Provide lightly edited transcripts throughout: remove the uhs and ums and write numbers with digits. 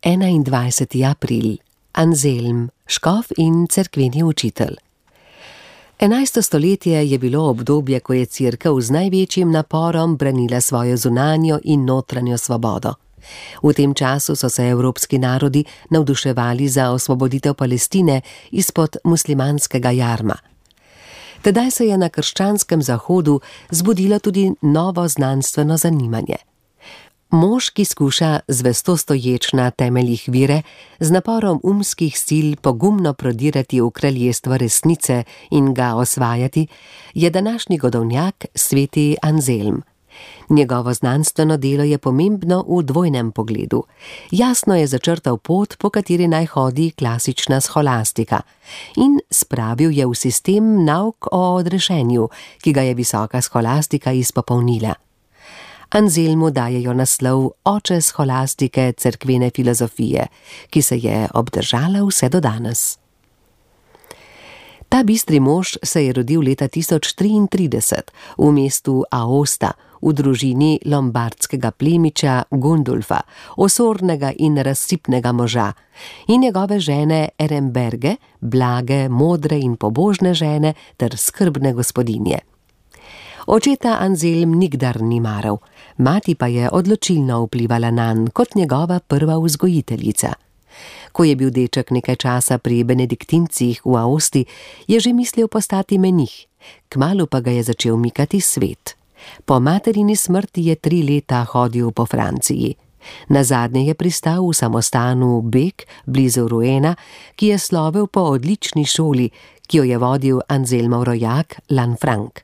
21. april. Anselm, škof in cerkveni učitelj. 11. stoletje je bilo obdobje, ko je Cerkev z največjim naporom branila svojo zunanjo in notranjo svobodo. V tem času so se evropski narodi navduševali za osvoboditev Palestine izpod muslimanskega jarma. Tedaj se je na krščanskem zahodu zbudilo tudi novo znanstveno zanimanje. Mož, ki skuša zvesto stoječ na temeljih vere, z naporom umskih sil pogumno prodirati v kraljestvo resnice in ga osvajati, je današnji godovnjak sveti Anselm. Njegovo znanstveno delo je pomembno v dvojnem pogledu. Jasno je začrtal pot, po kateri naj hodi klasična scholastika, in spravil je v sistem nauk o odrešenju, ki ga je visoka scholastika izpopolnila. Anselmu dajejo naslov oče scholastike cerkvene filozofije, ki se je obdržala vse do danes. Ta bistri mož se je rodil leta 1033 v mestu Aosta, v družini lombardskega plemiča Gundulfa, osornega in razsipnega moža, in njegove žene Eremberge, blage, modre in pobožne žene ter skrbne gospodinje. Očeta Anselm nikdar ni maral, mati pa je odločilno vplivala nanj kot njegova prva vzgojiteljica. Ko je bil deček nekaj časa pri benediktincih v Aosti, je že mislil postati menih, kmalu pa ga je začel mikati svet. Po materini smrti je 3 leta hodil po Franciji. Nazadnje je pristal v samostanu Bec blizu Rouena, ki je slovel po odlični šoli, ki jo je vodil Anselmov rojak Lanfranc.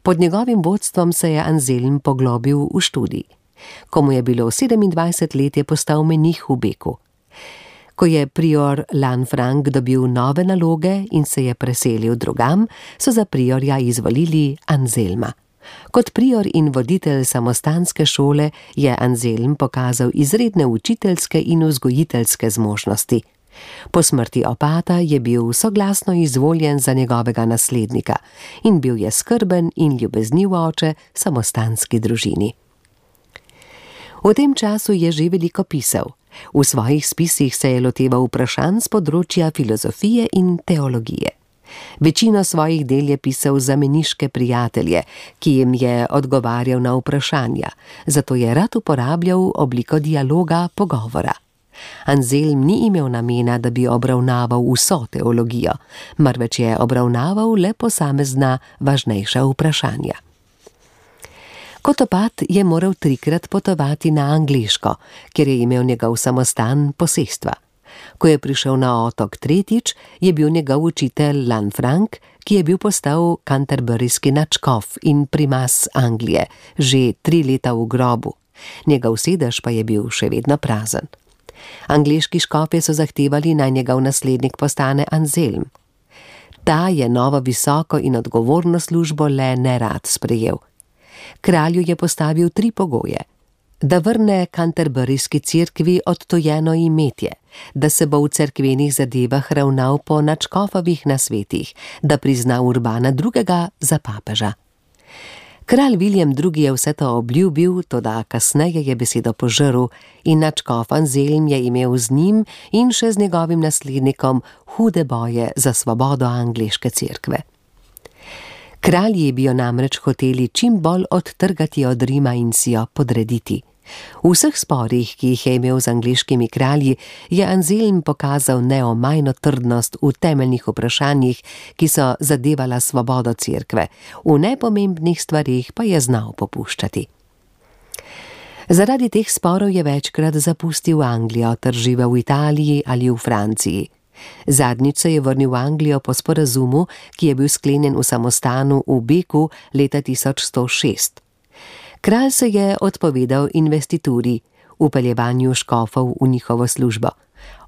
Pod njegovim vodstvom se je Anselm poglobil v študij. Ko mu je bilo 27 let, je postal menih v Becu. Ko je prior Lanfranc dobil nove naloge in se je preselil drugam, so za priorja izvolili Anselma. Kot prior in voditelj samostanske šole je Anselm pokazal izredne učiteljske in vzgojiteljske zmožnosti. Po smrti opata je bil soglasno izvoljen za njegovega naslednika in bil je skrben in ljubezniv oče samostanski družini. V tem času je že veliko pisal. V svojih spisih se je loteval vprašanj z področja filozofije in teologije. Večino svojih del je pisal za meniške prijatelje, ki jim je odgovarjal na vprašanja, zato je rad uporabljal obliko dialoga, pogovora. Anselm ni imel namena, da bi obravnaval vso teologijo, marveč je obravnaval le posamezna važnejša vprašanja. Kot opat je moral 3-krat potovati na Angleško, kjer je imel njegov samostan posestva. Ko je prišel na otok 3., je bil njegov učitelj Lanfranc, ki je bil postal canterburyski nadškof in primas Anglije, že 3 leta v grobu. Njegov sedež pa je bil še vedno prazen. Angleški škofje so zahtevali, naj njegov naslednik postane Anselm. Ta je novo visoko in odgovorno službo le nerad sprejel. Kralju je postavil 3 pogoje: da vrne canterburyski cerkvi odtojeno imetje, da se bo v cerkvenih zadevah ravnal po nadškofovih nasvetih, da prizna Urbana II. Za papeža. Kralj William II. Je vse to obljubil, toda kasneje je besedo požrl in nadškof Anselm je imel z njim in še z njegovim naslednikom hude boje za svobodo angleške cerkve. Kralji bi jo namreč hoteli čim bolj odtrgati od Rima in si jo podrediti. V vseh sporih, ki jih je imel z angleškimi kralji, je Anselm pokazal neomajno trdnost v temeljnih vprašanjih, ki so zadevala svobodo cerkve, v nepomembnih stvarih pa je znal popuščati. Zaradi teh sporov je večkrat zapustil Anglijo ter živel v Italiji ali v Franciji. Zadnjič se je vrnil v Anglijo po sporazumu, ki je bil sklenjen v samostanu v Becu leta 1106. Kralj se je odpovedal investituri, vpeljevanju škofov v njihovo službo.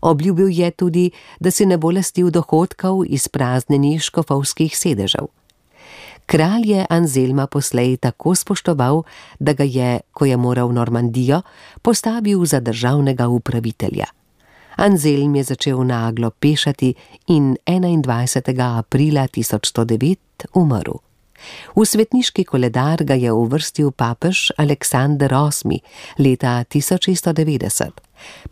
Obljubil je tudi, da si ne bo lastil dohodkov izpraznjenih škofovskih sedežev. Kralj je Anselma poslej tako spoštoval, da ga je, ko je moral v Normandijo, postavil za državnega upravitelja. Anselm je začel naglo pešati in 21. aprila 1109 umrl. V svetniški koledar ga je uvrstil papež Aleksander VIII leta 1690,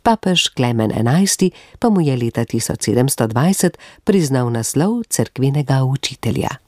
Papež Klemen XI pa mu je leta 1720 priznal naslov cerkvenega učitelja.